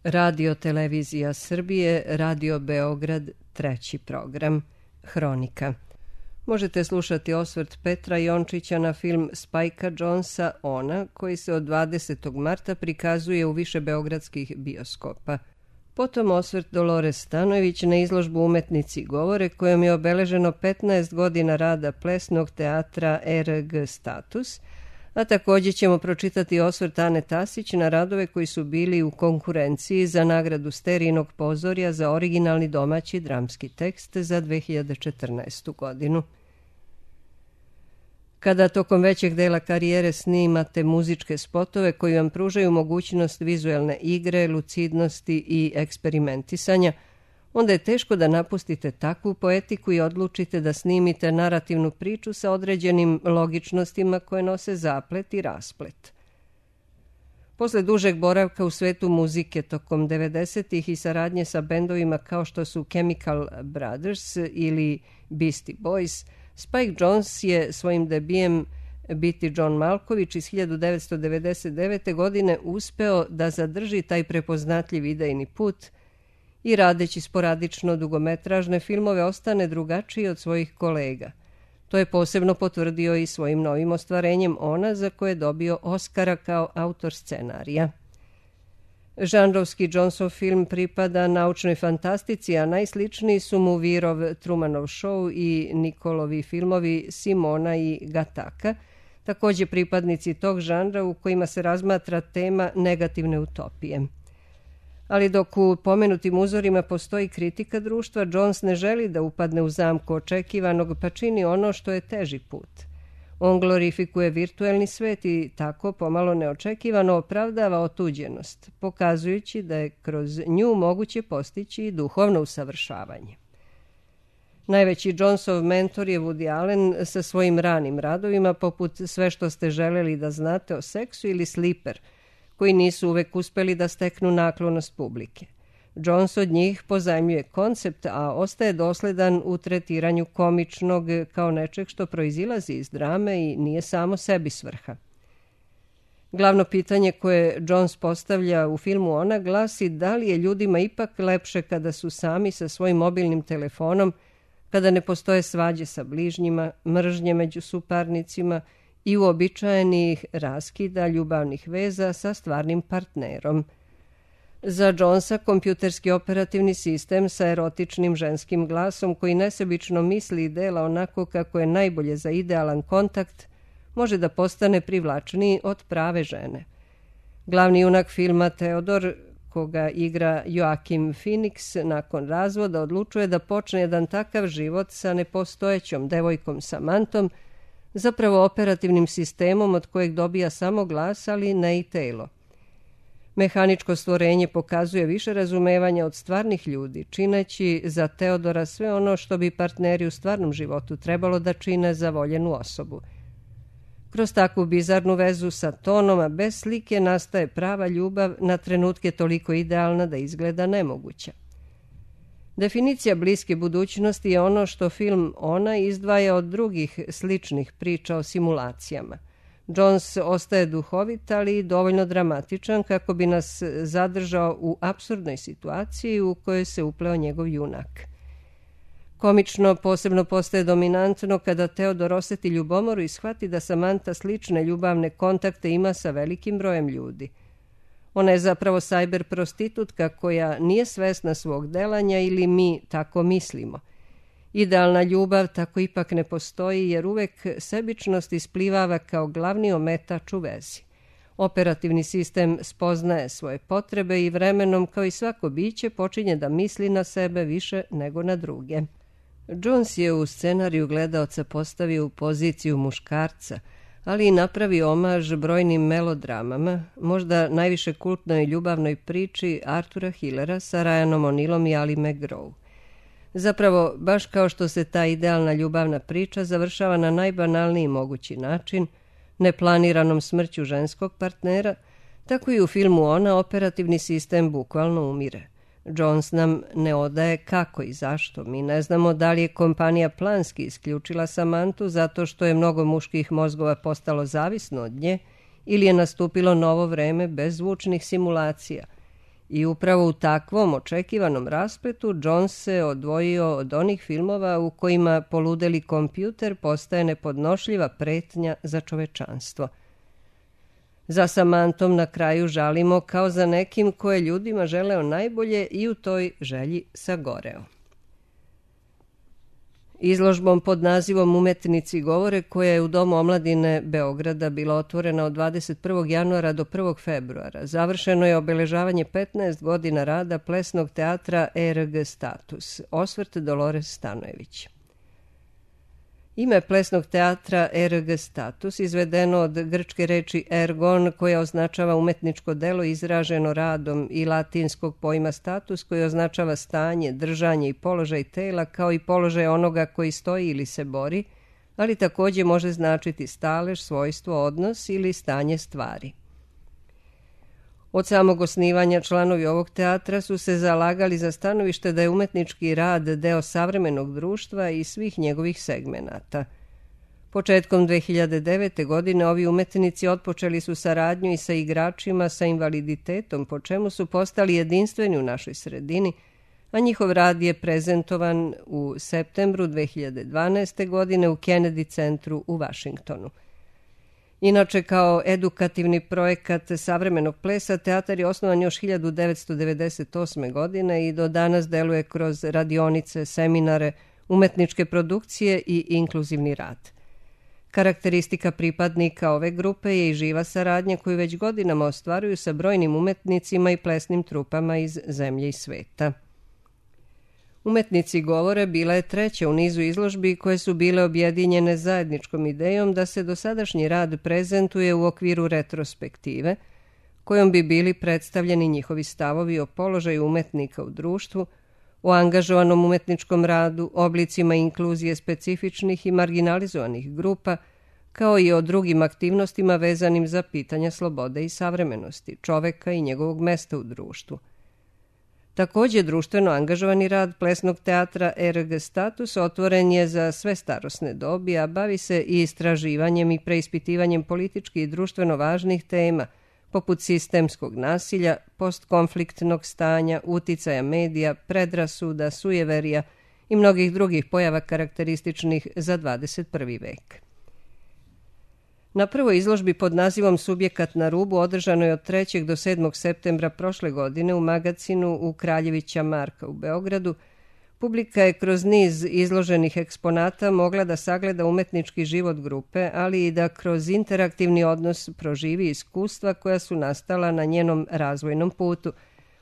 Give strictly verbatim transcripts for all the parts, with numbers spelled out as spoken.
Radio Televizija Srbije, Radio Beograd, treći program, Hronika. Možete slušati osvrt Petra Jončića na film Spajka Jonesa Ona, koji se od dvadesetog marta prikazuje u više beogradskih bioskopa. Potom osvrt Dolores Stanojević na izložbu Umetnici govore, kojom je obeleženo petnaest godina rada plesnog teatra R G Status, a također ćemo pročitati osvrt Ane Tasić na radove koji su bili u konkurenciji za nagradu Sterijinog pozorja za originalni domaći dramski tekst za dve hiljade četrnaestu. godinu. Kada tokom većeg dela karijere snimate muzičke spotove koji vam pružaju mogućnost vizuelne igre, lucidnosti i eksperimentisanja, onda je teško da napustite takvu poetiku i odlučite da snimite narativnu priču sa određenim logičnostima koje nose zaplet i rasplet. Posle dužeg boravka u svetu muzike tokom devedesetih i saradnje sa bendovima kao što su Chemical Brothers ili Beastie Boys, Spike Jonze je svojim debijem Biti John Malkovich iz hiljadu devetsto devedeset devete. godine uspeo da zadrži taj prepoznatljiv idejni put i radeći sporadično dugometražne filmove ostane drugačiji od svojih kolega. To je posebno potvrdio i svojim novim ostvarenjem Ona, za koje je dobio Oscara kao autor scenarija. Žanrovski Jonesov film pripada naučnoj fantastici, a najsličniji su mu Virov Trumanov show i Nikolovi filmovi Simona i Gataka, također pripadnici tog žanra u kojima se razmatra tema negativne utopije. Ali dok u pomenutim uzorima postoji kritika društva, Jones ne želi da upadne u zamku očekivanog, pa čini ono što je teži put. On glorifikuje virtuelni svet i tako pomalo neočekivano opravdava otuđenost, pokazujući da je kroz nju moguće postići i duhovno usavršavanje. Najveći Jonesov mentor je Woody Allen sa svojim ranim radovima poput Sve što ste želeli da znate o seksu ili Sleeper, koji nisu uvek uspeli da steknu naklonost publike. Jones od njih pozajmljuje koncept, a ostaje dosledan u tretiranju komičnog kao nečeg što proizilazi iz drame i nije samo sebi svrha. Glavno pitanje koje Jones postavlja u filmu Ona glasi da li je ljudima ipak lepše kada su sami sa svojim mobilnim telefonom, kada ne postoje svađe sa bližnjima, mržnje među suparnicima i uobičajenih raskida ljubavnih veza sa stvarnim partnerom. Za Jonesa kompjuterski operativni sistem sa erotičnim ženskim glasom koji nesebično misli i dela onako kako je najbolje za idealan kontakt može da postane privlačniji od prave žene. Glavni junak filma Teodor, koga igra Joaquin Phoenix, nakon razvoda odlučuje da počne jedan takav život sa nepostojećom devojkom Samantom, zapravo operativnim sistemom od kojeg dobija samo glas, ali ne i telo. Mehaničko stvorenje pokazuje više razumevanja od stvarnih ljudi, čineći za Teodora sve ono što bi partneri u stvarnom životu trebalo da čine za voljenu osobu. Kroz takvu bizarnu vezu sa tonom, a bez slike, nastaje prava ljubav, na trenutke toliko idealna da izgleda nemoguća. Definicija bliske budućnosti je ono što film Ona izdvaja od drugih sličnih priča o simulacijama. Jones ostaje duhovit, ali i dovoljno dramatičan kako bi nas zadržao u apsurdnoj situaciji u kojoj se upleo njegov junak. Komično posebno postaje dominantno kada Teodor osjeti ljubomoru i shvati da Samantha slične ljubavne kontakte ima sa velikim brojem ljudi. Ona je zapravo sajber prostitutka koja nije svesna svog delanja ili mi tako mislimo. Idealna ljubav tako ipak ne postoji jer uvek sebičnost isplivava kao glavni ometač u vezi. Operativni sistem spoznaje svoje potrebe i vremenom, kao i svako biće, počinje da misli na sebe više nego na druge. Jones je u scenariju gledaoca postavio u poziciju muškarca, ali i napravio omaž brojnim melodramama, možda najviše kultnoj ljubavnoj priči Artura Hillera sa Ryanom O'Neillom i Ali McGraw. Zapravo, baš kao što se ta idealna ljubavna priča završava na najbanalniji mogući način, neplaniranom smrću ženskog partnera, tako i u filmu Ona operativni sistem bukvalno umire. Jones nam ne odaje kako i zašto. Mi ne znamo da li je kompanija planski isključila Samanthu zato što je mnogo muških mozgova postalo zavisno od nje ili je nastupilo novo vreme bez zvučnih simulacija. I upravo u takvom očekivanom raspletu Jones se odvojio od onih filmova u kojima poludeli kompjuter postaje nepodnošljiva pretnja za čovečanstvo. Za Samantom na kraju žalimo kao za nekim koje ljudima želeo najbolje i u toj želji sagoreo. Izložbom pod nazivom Umetnici govore, koja je u Domu omladine Beograda bila otvorena od dvadeset prvog januara do prvog februara, završeno je obeležavanje petnaest godina rada plesnog teatra E R G Status, osvrt Dolores Stanojević. Ime plesnog teatra E R G Status izvedeno od grčke reči ergon, koja označava umetničko delo izraženo radom, i latinskog pojma status, koji označava stanje, držanje i položaj tela, kao i položaj onoga koji stoji ili se bori, ali također može značiti stalež, svojstvo, odnos ili stanje stvari. Od samog osnivanja članovi ovog teatra su se zalagali za stanovište da je umetnički rad deo savremenog društva i svih njegovih segmenata. Početkom dve hiljade devete. godine ovi umetnici otpočeli su saradnju i sa igračima sa invaliditetom, po čemu su postali jedinstveni u našoj sredini, a njihov rad je prezentovan u septembru dve hiljade dvanaeste. godine u Kennedy centru u Vašingtonu. Inače, kao edukativni projekat savremenog plesa, teatar je osnovan još hiljadu devetsto devedeset osme. godine i do danas deluje kroz radionice, seminare, umetničke produkcije i inkluzivni rad. Karakteristika pripadnika ove grupe je i živa saradnja koju već godinama ostvaruju sa brojnim umetnicima i plesnim trupama iz zemlje i sveta. Umetnici govore bila je treća u nizu izložbi koje su bile objedinjene zajedničkom idejom da se dosadašnji rad prezentuje u okviru retrospektive, kojom bi bili predstavljeni njihovi stavovi o položaju umetnika u društvu, o angažovanom umetničkom radu, oblicima inkluzije specifičnih i marginalizovanih grupa, kao i o drugim aktivnostima vezanim za pitanja slobode i savremenosti, čoveka i njegovog mesta u društvu. Također, društveno angažovani rad plesnog teatra E R G Status otvoren je za sve starosne dobi, a bavi se i istraživanjem i preispitivanjem politički i društveno važnih tema, poput sistemskog nasilja, postkonfliktnog stanja, uticaja medija, predrasuda, sujeverija i mnogih drugih pojava karakterističnih za dvadeset prvi. vek. Na prvoj izložbi pod nazivom Subjekat na rubu, održano je od trećeg do sedmog septembra prošle godine u magacinu u Kraljevića Marka u Beogradu, publika je kroz niz izloženih eksponata mogla da sagleda umetnički život grupe, ali i da kroz interaktivni odnos proživi iskustva koja su nastala na njenom razvojnom putu,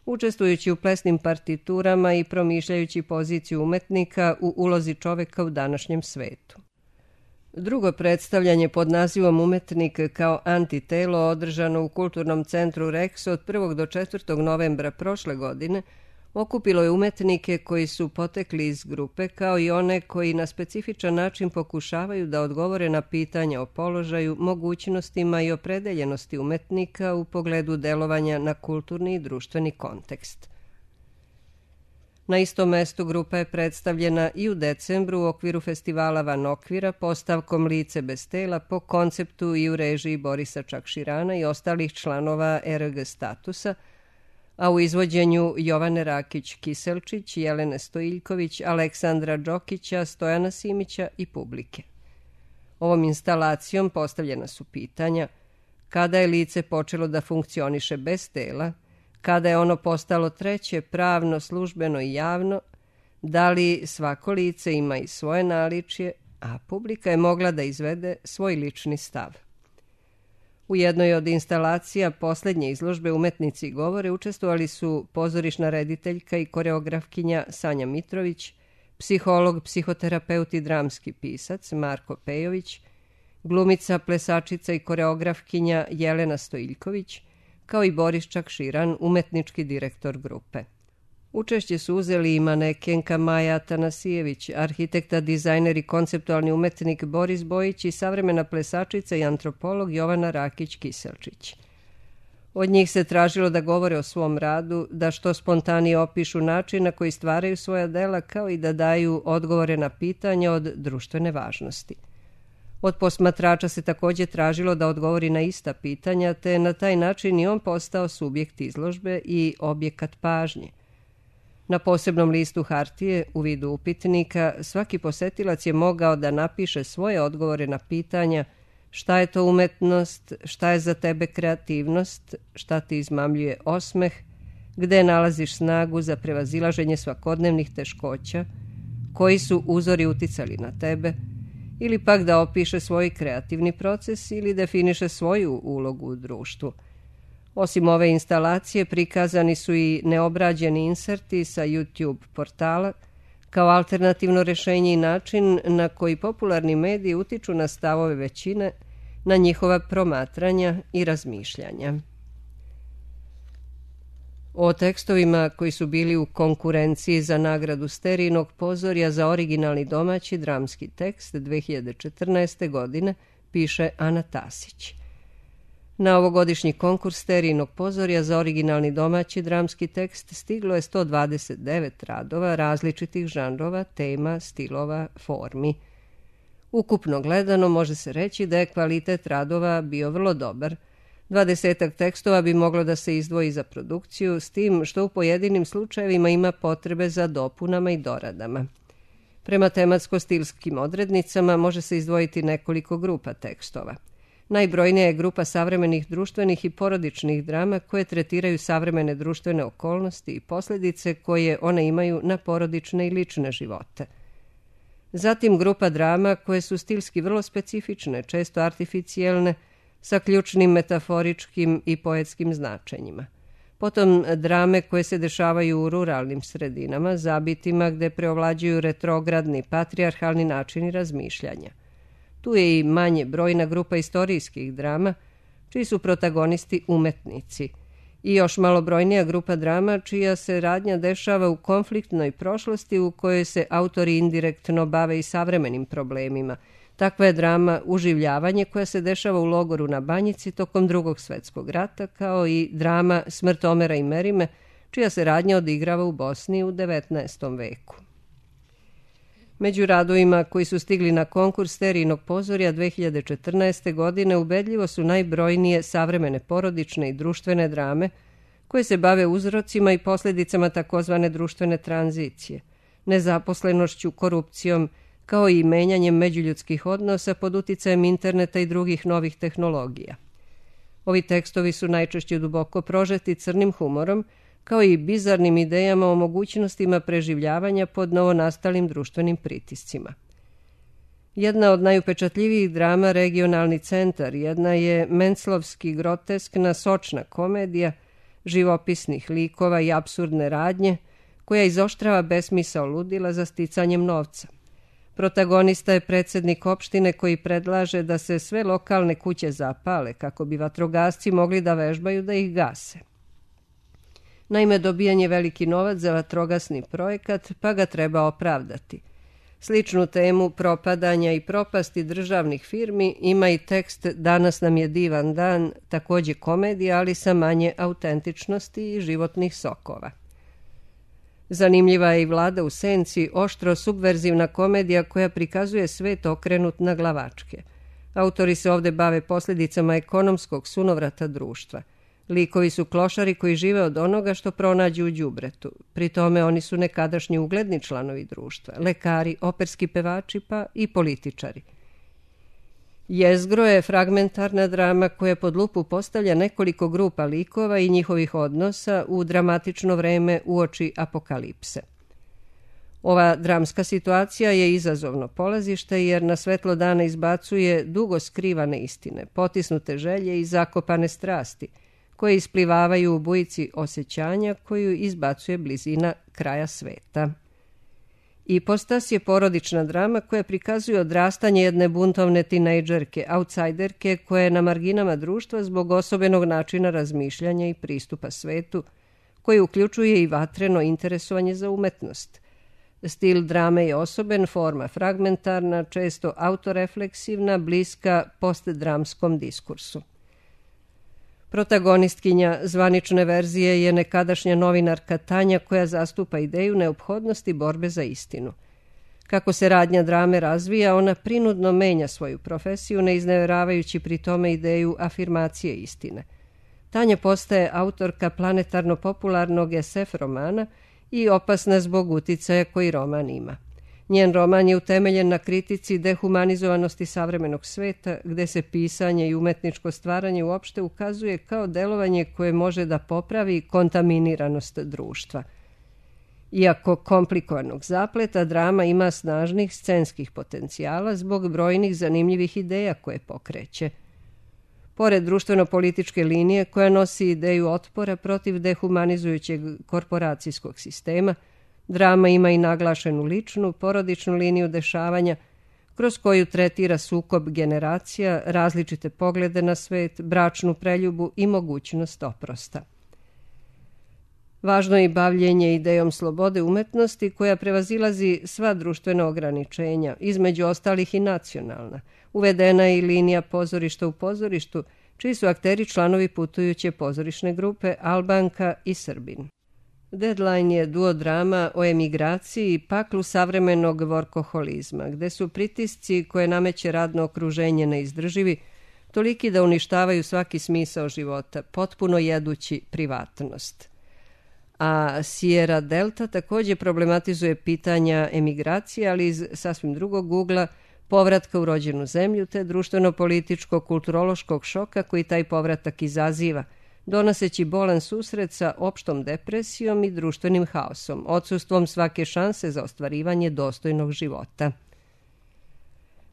učestvujući u plesnim partiturama i promišljajući poziciju umetnika u ulozi čoveka u današnjem svetu. Drugo predstavljanje pod nazivom Umetnik kao antitelo, održano u Kulturnom centru Rex od prvog do četvrtog novembra prošle godine, okupilo je umetnike koji su potekli iz grupe, kao i one koji na specifičan način pokušavaju da odgovore na pitanja o položaju, mogućnostima i opredeljenosti umetnika u pogledu delovanja na kulturni i društveni kontekst. Na istom mestu grupa je predstavljena i u decembru u okviru festivala Van Okvira postavkom Lice bez tela po konceptu i u režiji Borisa Čakširana i ostalih članova E R G Statusa, a u izvođenju Jovane Rakić-Kiselčić, Jelene Stojiljković, Aleksandra Đokića, Stojana Simića i publike. Ovom instalacijom postavljena su pitanja: kada je lice počelo da funkcioniše bez tela, kada je ono postalo treće, pravno, službeno i javno, da li svako lice ima i svoje naličje, a publika je mogla da izvede svoj lični stav. U jednoj od instalacija poslednje izložbe Umetnici govore učestvovali su pozorišna rediteljka i koreografkinja Sanja Mitrović, psiholog, psihoterapeut i dramski pisac Marko Pejović, glumica, plesačica i koreografkinja Jelena Stojiljković, kao i Boris Čakširan, umetnički direktor grupe. Učešće su uzeli i manekenka Maja Atanasijević, arhitekta, dizajner i konceptualni umetnik Boris Bojić i savremena plesačica i antropolog Jovana Rakić-Kiselčić. Od njih se tražilo da govore o svom radu, da što spontanije opišu način na koji stvaraju svoja dela, kao i da daju odgovore na pitanja od društvene važnosti. Od posmatrača se također tražilo da odgovori na ista pitanja, te je na taj način i on postao subjekt izložbe i objekat pažnje. Na posebnom listu hartije, u vidu upitnika, svaki posetilac je mogao da napiše svoje odgovore na pitanja šta je to umetnost, šta je za tebe kreativnost, šta ti izmamljuje osmeh, gde nalaziš snagu za prevazilaženje svakodnevnih teškoća, koji su uzori uticali na tebe, ili pak da opiše svoj kreativni proces ili definiše svoju ulogu u društvu. Osim ove instalacije, prikazani su i neobrađeni inserti sa YouTube portala kao alternativno rješenje i način na koji popularni mediji utiču na stavove većine, na njihova promatranja i razmišljanja. O tekstovima koji su bili u konkurenciji za nagradu Sterijnog pozorja za originalni domaći dramski tekst dve hiljade četrnaeste. godine piše Ana Tasić. Na ovogodišnji konkurs Sterijnog pozorja za originalni domaći dramski tekst stiglo je sto dvadeset devet radova različitih žanrova, tema, stilova, formi. Ukupno gledano može se reći da je kvalitet radova bio vrlo dobar. Dvadesetak tekstova bi moglo da se izdvoji za produkciju, s tim što u pojedinim slučajevima ima potrebe za dopunama i doradama. Prema tematsko-stilskim odrednicama može se izdvojiti nekoliko grupa tekstova. Najbrojnija je grupa savremenih društvenih i porodičnih drama koje tretiraju savremene društvene okolnosti i posljedice koje one imaju na porodične i lične živote. Zatim grupa drama koje su stilski vrlo specifične, često artificijelne, sa ključnim metaforičkim i poetskim značenjima. Potom drame koje se dešavaju u ruralnim sredinama, zabitima gde preovlađuju retrogradni, patrijarhalni načini razmišljanja. Tu je i manje brojna grupa istorijskih drama, čiji su protagonisti umetnici, i još malobrojnija grupa drama čija se radnja dešava u konfliktnoj prošlosti u kojoj se autori indirektno bave i savremenim problemima. Takva je drama Uživljavanje koja se dešava u logoru na Banjici tokom Drugog svjetskog rata, kao i drama Smrt Omera i Merime, čija se radnja odigrava u Bosni u devetnaestom veku. Među radovima koji su stigli na konkurs Sterijnog pozorja dve hiljade četrnaeste. godine ubedljivo su najbrojnije savremene porodične i društvene drame koje se bave uzrocima i posljedicama takozvane društvene tranzicije, nezaposlenošću, korupcijom, kao i menjanjem međuljudskih odnosa pod uticajem interneta i drugih novih tehnologija. Ovi tekstovi su najčešće duboko prožeti crnim humorom, kao i bizarnim idejama o mogućnostima preživljavanja pod novonastalim društvenim pritiscima. Jedna od najupečatljivijih drama Regionalni centar, jedna je menclovski groteskna sočna komedija živopisnih likova i apsurdne radnje, koja izoštrava besmisao ludila za sticanjem novca. Protagonista je predsjednik opštine koji predlaže da se sve lokalne kuće zapale kako bi vatrogasci mogli da vežbaju da ih gase. Naime, dobijan je veliki novac za vatrogasni projekat, pa ga treba opravdati. Sličnu temu propadanja i propasti državnih firmi ima i tekst Danas nam je divan dan, također komedija, ali sa manje autentičnosti i životnih sokova. Zanimljiva je i Vlada u senci, oštro subverzivna komedija koja prikazuje svet okrenut na glavačke. Autori se ovde bave posljedicama ekonomskog sunovrata društva. Likovi su klošari koji žive od onoga što pronađu u đubretu. Pri tome oni su nekadašnji ugledni članovi društva, lekari, operski pevači pa i političari. Jezgro je fragmentarna drama koja pod lupu postavlja nekoliko grupa likova i njihovih odnosa u dramatično vreme uoči apokalipse. Ova dramska situacija je izazovno polazište jer na svetlo dana izbacuje dugo skrivane istine, potisnute želje i zakopane strasti, koje isplivavaju u bujici osjećanja koju izbacuje blizina kraja sveta. Ipostas je porodična drama koja prikazuje odrastanje jedne buntovne tinejdžerke, outsiderke koja je na marginama društva zbog osobenog načina razmišljanja i pristupa svetu, koji uključuje i vatreno interesovanje za umetnost. Stil drame je osoben, forma fragmentarna, često autorefleksivna, bliska postdramskom diskursu. Protagonistkinja zvanične verzije je nekadašnja novinarka Tanja koja zastupa ideju neophodnosti borbe za istinu. Kako se radnja drame razvija, ona prinudno menja svoju profesiju, ne iznevjeravajući pri tome ideju afirmacije istine. Tanja postaje autorka planetarno-popularnog es ef romana i opasna zbog uticaja koji roman ima. Njen roman je utemeljen na kritici dehumanizovanosti savremenog sveta, gde se pisanje i umetničko stvaranje uopšte ukazuje kao delovanje koje može da popravi kontaminiranost društva. Iako komplikovanog zapleta, drama ima snažnih scenskih potencijala zbog brojnih zanimljivih ideja koje pokreće. Pored društveno-političke linije koja nosi ideju otpora protiv dehumanizujućeg korporacijskog sistema, drama ima i naglašenu ličnu, porodičnu liniju dešavanja, kroz koju tretira sukob generacija, različite poglede na svet, bračnu preljubu i mogućnost oprosta. Važno je i bavljenje idejom slobode umetnosti koja prevazilazi sva društvena ograničenja, između ostalih i nacionalna. Uvedena je i linija pozorišta u pozorištu, čiji su akteri članovi putujuće pozorišne grupe Albanka i Srbin. Deadline je duodrama o emigraciji i paklu savremenog vorkoholizma, gde su pritisci koje nameće radno okruženje neizdrživi, toliki da uništavaju svaki smisao života, potpuno jedući privatnost. A Sierra Delta također problematizuje pitanja emigracije, ali iz sasvim drugog ugla, povratka u rođenu zemlju te društveno-političko-kulturološkog šoka koji taj povratak izaziva, donoseći bolan susret sa opštom depresijom i društvenim haosom, odsustvom svake šanse za ostvarivanje dostojnog života.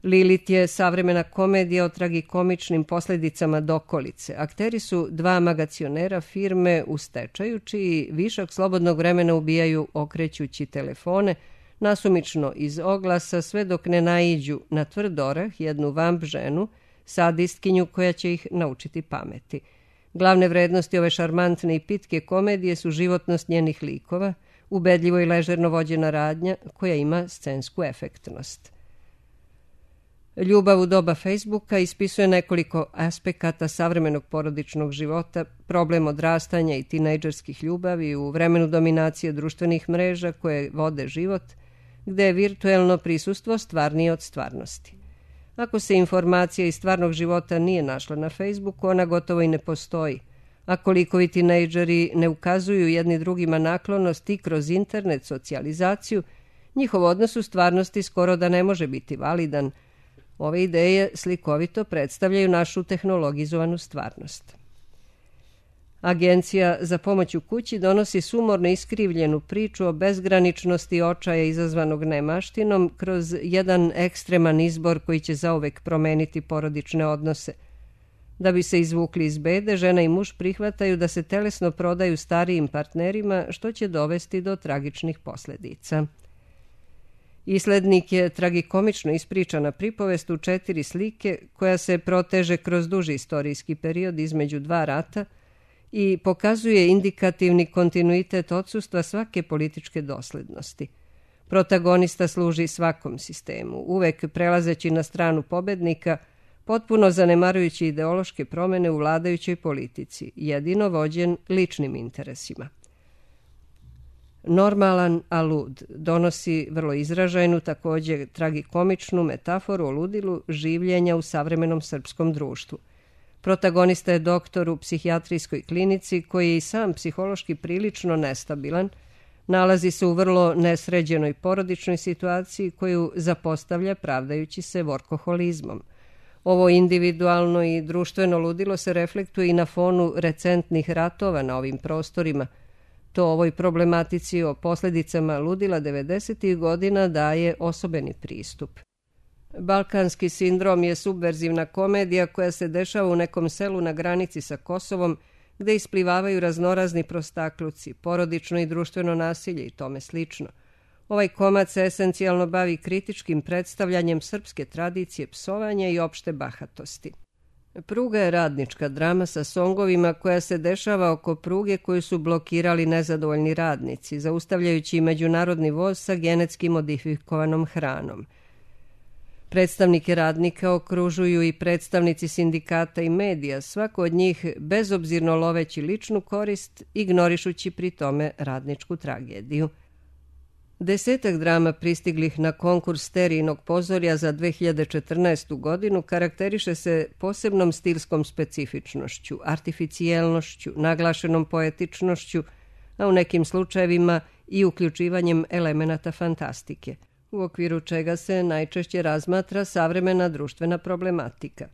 Lilith je savremena komedija o tragikomičnim posljedicama dokolice. Akteri su dva magacionera firme u stečaju, čiji višak slobodnog vremena ubijaju okrećući telefone, nasumično iz oglasa, sve dok ne naiđu na tvrd orah jednu vamp ženu, sadistkinju koja će ih naučiti pameti. Glavne vrednosti ove šarmantne i pitke komedije su životnost njenih likova, ubedljivo i ležerno vođena radnja koja ima scensku efektnost. Ljubav u doba Facebooka ispisuje nekoliko aspekata savremenog porodičnog života, problem odrastanja i tinejdžerskih ljubavi u vremenu dominacije društvenih mreža koje vode život, gde je virtuelno prisustvo stvarnije od stvarnosti. Ako se informacija iz stvarnog života nije našla na Facebooku, ona gotovo i ne postoji. Ako likovi tinejdžeri ne ukazuju jedni drugima naklonost i kroz internet socijalizaciju, njihov odnos u stvarnosti skoro da ne može biti validan. Ove ideje slikovito predstavljaju našu tehnologizovanu stvarnost. Agencija za pomoć u kući donosi sumorno iskrivljenu priču o bezgraničnosti očaja izazvanog nemaštinom kroz jedan ekstreman izbor koji će zauvek promeniti porodične odnose. Da bi se izvukli iz bede, žena i muž prihvataju da se telesno prodaju starijim partnerima, što će dovesti do tragičnih posljedica. Islednik je tragikomično ispričana pripovest u četiri slike koja se proteže kroz duži istorijski period između dva rata i pokazuje indikativni kontinuitet odsustva svake političke doslednosti. Protagonista služi svakom sistemu, uvek prelazeći na stranu pobednika, potpuno zanemarujući ideološke promene u vladajućoj politici, jedino vođen ličnim interesima. Normalan, a lud, donosi vrlo izražajnu, također tragikomičnu metaforu o ludilu življenja u savremenom srpskom društvu. Protagonista je doktor u psihijatrijskoj klinici koji je i sam psihološki prilično nestabilan, nalazi se u vrlo nesređenoj porodičnoj situaciji koju zapostavlja pravdajući se vorkoholizmom. Ovo individualno i društveno ludilo se reflektuje i na fonu recentnih ratova na ovim prostorima. To ovoj problematici o posljedicama ludila devedesetih godina daje osobeni pristup. Balkanski sindrom je subverzivna komedija koja se dešava u nekom selu na granici sa Kosovom, gde isplivavaju raznorazni prostakluci, porodično i društveno nasilje i tome slično. Ovaj komad se esencijalno bavi kritičkim predstavljanjem srpske tradicije psovanja i opšte bahatosti. Pruga je radnička drama sa songovima koja se dešava oko pruge koju su blokirali nezadovoljni radnici, zaustavljajući međunarodni voz sa genetski modifikovanom hranom. Predstavnike radnika okružuju i predstavnici sindikata i medija, svako od njih bezobzirno loveći ličnu korist, ignorišući pri tome radničku tragediju. Desetak drama pristiglih na konkurs Sterijinog pozorja za dve hiljade četrnaestu godinu karakteriše se posebnom stilskom specifičnošću, artificijelnošću, naglašenom poetičnošću, a u nekim slučajevima i uključivanjem elemenata fantastike, u okviru čega se najčešće razmatra savremena društvena problematika.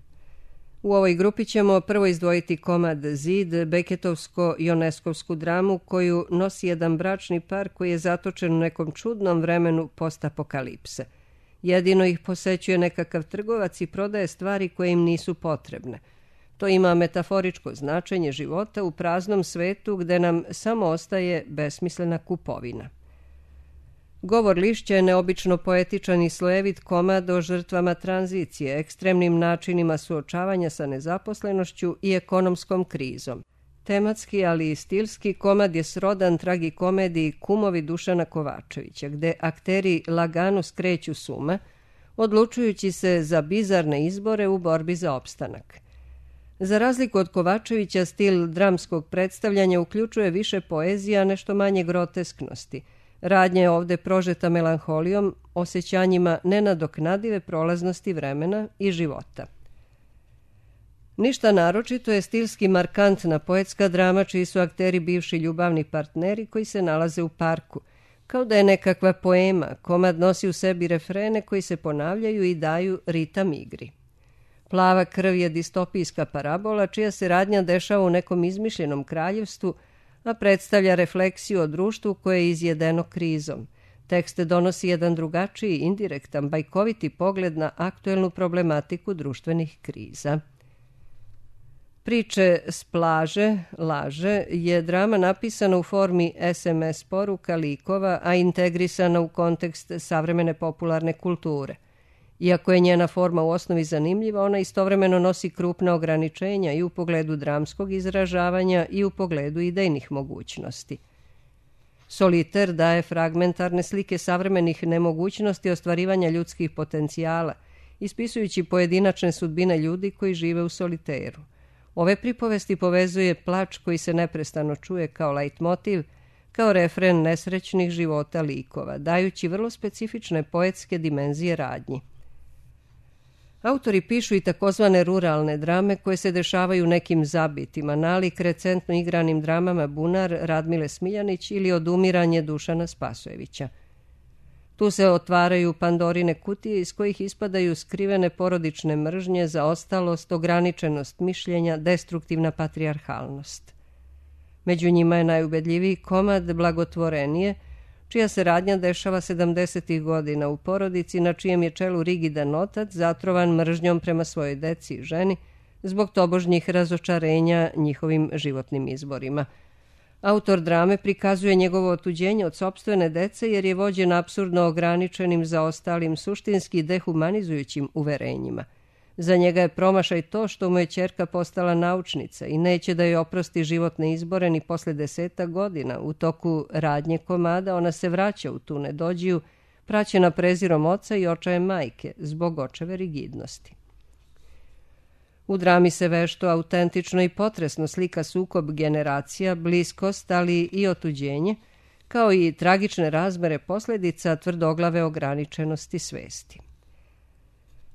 U ovoj grupi ćemo prvo izdvojiti komad Zid, Beketovsko-Ioneskovsku dramu koju nosi jedan bračni par koji je zatočen u nekom čudnom vremenu postapokalipse. Jedino ih posećuje nekakav trgovac i prodaje stvari koje im nisu potrebne. To ima metaforičko značenje života u praznom svetu gde nam samo ostaje besmislena kupovina. Govor lišća je neobično poetičan i slojevit komad o žrtvama tranzicije, ekstremnim načinima suočavanja sa nezaposlenošću i ekonomskom krizom. Tematski, ali i stilski, komad je srodan tragikomediji Kumovi Dušana Kovačevića, gde akteri lagano skreću s uma, odlučujući se za bizarne izbore u borbi za opstanak. Za razliku od Kovačevića, stil dramskog predstavljanja uključuje više poezija, nešto manje grotesknosti. Radnja je ovde prožeta melanholijom, osjećanjima nenadoknadive prolaznosti vremena i života. Ništa naročito je stilski markantna poetska drama čiji su akteri bivši ljubavni partneri koji se nalaze u parku. Kao da je nekakva poema, komad nosi u sebi refrene koji se ponavljaju i daju ritam igri. Plava krv je distopijska parabola čija se radnja dešava u nekom izmišljenom kraljevstvu, a predstavlja refleksiju o društvu koje je izjedeno krizom. Tekst donosi jedan drugačiji, indirektan, bajkoviti pogled na aktuelnu problematiku društvenih kriza. Priče s plaže, laže, je drama napisana u formi es em es poruka likova, a integrisana u kontekst savremene popularne kulture. Iako je njena forma u osnovi zanimljiva, ona istovremeno nosi krupna ograničenja i u pogledu dramskog izražavanja i u pogledu idejnih mogućnosti. Soliter daje fragmentarne slike savremenih nemogućnosti ostvarivanja ljudskih potencijala, ispisujući pojedinačne sudbine ljudi koji žive u soliteru. Ove pripovesti povezuje plač koji se neprestano čuje kao leitmotiv, kao refren nesrećnih života likova, dajući vrlo specifične poetske dimenzije radnji. Autori pišu i takozvane ruralne drame koje se dešavaju u nekim zabitima, nalik recentno igranim dramama Bunar Radmile Smiljanić ili Odumiranje Dušana Spasojevića. Tu se otvaraju Pandorine kutije iz kojih ispadaju skrivene porodične mržnje, zaostalost, ograničenost mišljenja, destruktivna patrijarhalnost. Među njima je najubedljiviji komad Blagotvorenije, čija se radnja dešava sedamdesetih godina u porodici na čijem je čelu rigidan otac zatrovan mržnjom prema svojoj deci i ženi zbog tobožnjih razočarenja njihovim životnim izborima. Autor drame prikazuje njegovo otuđenje od sopstvene dece jer je vođen apsurdno ograničenim zaostalim suštinski dehumanizujućim uverenjima. Za njega je promašaj to što mu je ćerka postala naučnica i neće da joj oprosti životne izbore ni posle desetak godina. U toku radnje komada ona se vraća u tu nedođiju, praćena prezirom oca i očajem majke, zbog očeve rigidnosti. U drami se vešto, autentično i potresno slika sukob generacija, bliskost, ali i otuđenje, kao i tragične razmere posljedica tvrdoglave ograničenosti svesti.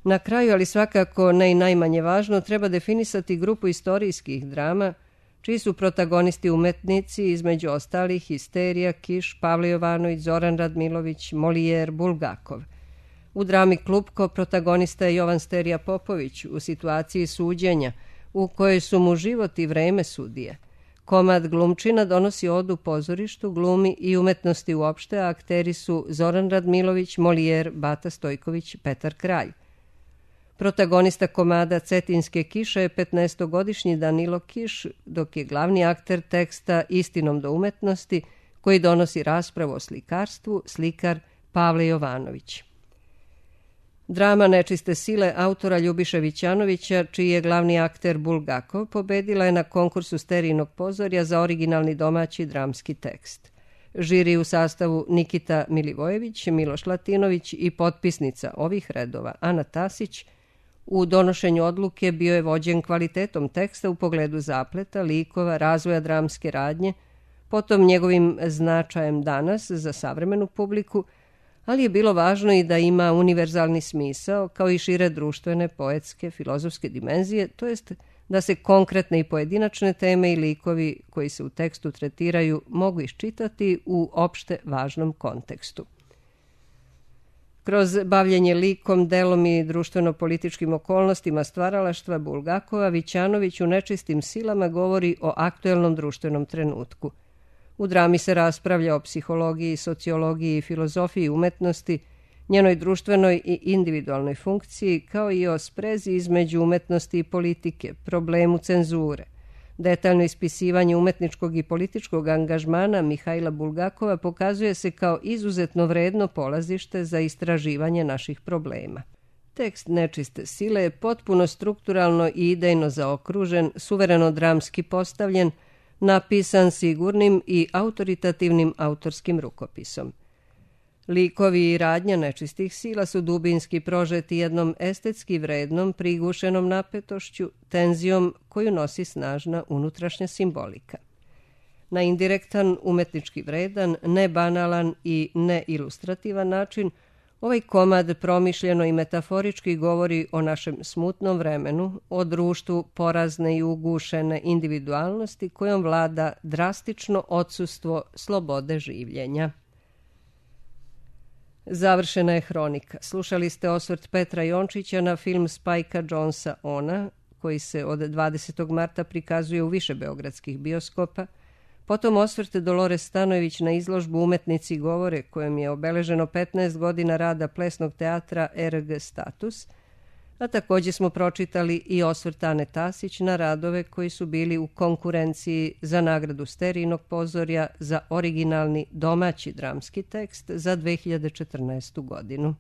Na kraju, ali svakako ne i najmanje važno, treba definisati grupu istorijskih drama, čiji su protagonisti umetnici, između ostalih Histerija, Kiš, Pavle Jovanović, Zoran Radmilović, Molijer, Bulgakov. U drami Klupko protagonista je Jovan Sterija Popović u situaciji suđenja, u kojoj su mu život i vreme sudije. Komad Glumčina donosi odu pozorištu, glumi i umetnosti uopšte, a akteri su Zoran Radmilović, Molijer, Bata Stojković, Petar Kralj. Protagonista komada Cetinske kiše je petnaestogodišnji Danilo Kiš, dok je glavni akter teksta Istinom do umetnosti, koji donosi raspravu o slikarstvu, slikar Pavle Jovanović. Drama Nečiste sile autora Ljubiše Vićanovića, čiji je glavni akter Bulgakov, pobedila je na konkursu Sterijinog pozorja za originalni domaći dramski tekst. Žiri u sastavu Nikita Milivojević, Miloš Latinović i potpisnica ovih redova Ana Tasić u donošenju odluke bio je vođen kvalitetom teksta u pogledu zapleta, likova, razvoja dramske radnje, potom njegovim značajem danas za savremenu publiku, ali je bilo važno i da ima univerzalni smisao, kao i šire društvene, poetske, filozofske dimenzije, to jest da se konkretne i pojedinačne teme i likovi koji se u tekstu tretiraju mogu iščitati u opšte važnom kontekstu. Kroz bavljenje likom, delom i društveno-političkim okolnostima stvaralaštva Bulgakova, Vićanović u Nečistim silama govori o aktuelnom društvenom trenutku. U drami se raspravlja o psihologiji, sociologiji i filozofiji umetnosti, njenoj društvenoj i individualnoj funkciji, kao i o sprezi između umetnosti i politike, problemu cenzure. Detaljno ispisivanje umetničkog i političkog angažmana Mihajla Bulgakova pokazuje se kao izuzetno vredno polazište za istraživanje naših problema. Tekst Nečiste sile je potpuno strukturalno i idejno zaokružen, suvereno dramski postavljen, napisan sigurnim i autoritativnim autorskim rukopisom. Likovi i radnja Nečistih sila su dubinski prožeti jednom estetski vrednom, prigušenom napetošću, tenzijom koju nosi snažna unutrašnja simbolika. Na indirektan, umetnički vredan, nebanalan i neilustrativan način, ovaj komad promišljeno i metaforički govori o našem smutnom vremenu, o društvu porazne i ugušene individualnosti kojom vlada drastično odsustvo slobode življenja. Završena je hronika. Slušali ste osvrt Petra Jončića na film Spajka Jonesa Ona, koji se od dvadesetog marta prikazuje u više beogradskih bioskopa, potom osvrt Dolores Stanojević na izložbu Umetnici govore, kojom je obeleženo petnaest godina rada plesnog teatra R G Status, a također smo pročitali i osvrt Ane Tasić na radove koji su bili u konkurenciji za nagradu Sterijnog pozorja za originalni domaći dramski tekst za dve hiljade četrnaestu godinu.